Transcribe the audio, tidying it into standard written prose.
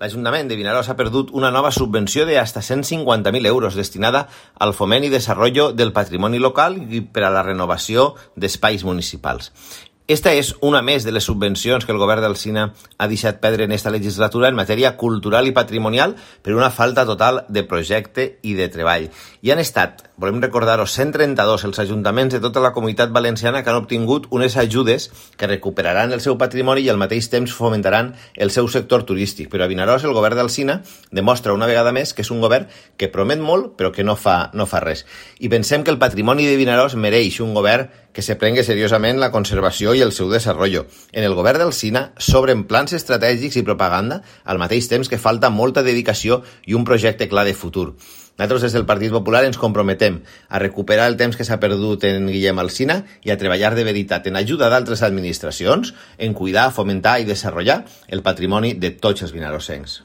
L'Ajuntament de Vinaròs ha perdut una nova subvenció de hasta 150.000 euros destinada al foment i desenvolupament del patrimoni local i per a la renovació d'espais municipals. Esta és una més de les subvencions que el govern d'Alsina ha deixat perdre en esta legislatura en matèria cultural i patrimonial per una falta total de projecte i de treball. I han estat, volem recordar-ho, 132 els ajuntaments de tota la comunitat valenciana que han obtingut unes ajudes que recuperaran el seu patrimoni i al mateix temps fomentaran el seu sector turístic. Però a Vinaròs el govern d'Alsina demostra una vegada més que és un govern que promet molt però que no fa res. I pensem que el patrimoni de Vinaròs mereix un govern que se prengui seriosament la conservació i el seu desenvolupament. En el govern d'Alsina s'obren plans estratègics i propaganda al mateix temps que falta molta dedicació i un projecte clar de futur. Nosaltres des del Partit Popular ens comprometem a recuperar el temps que s'ha perdut en Guillem Alsina i a treballar de veritat en ajuda d'altres administracions en cuidar, fomentar i desenvolupar el patrimoni de tots els vinarossencs.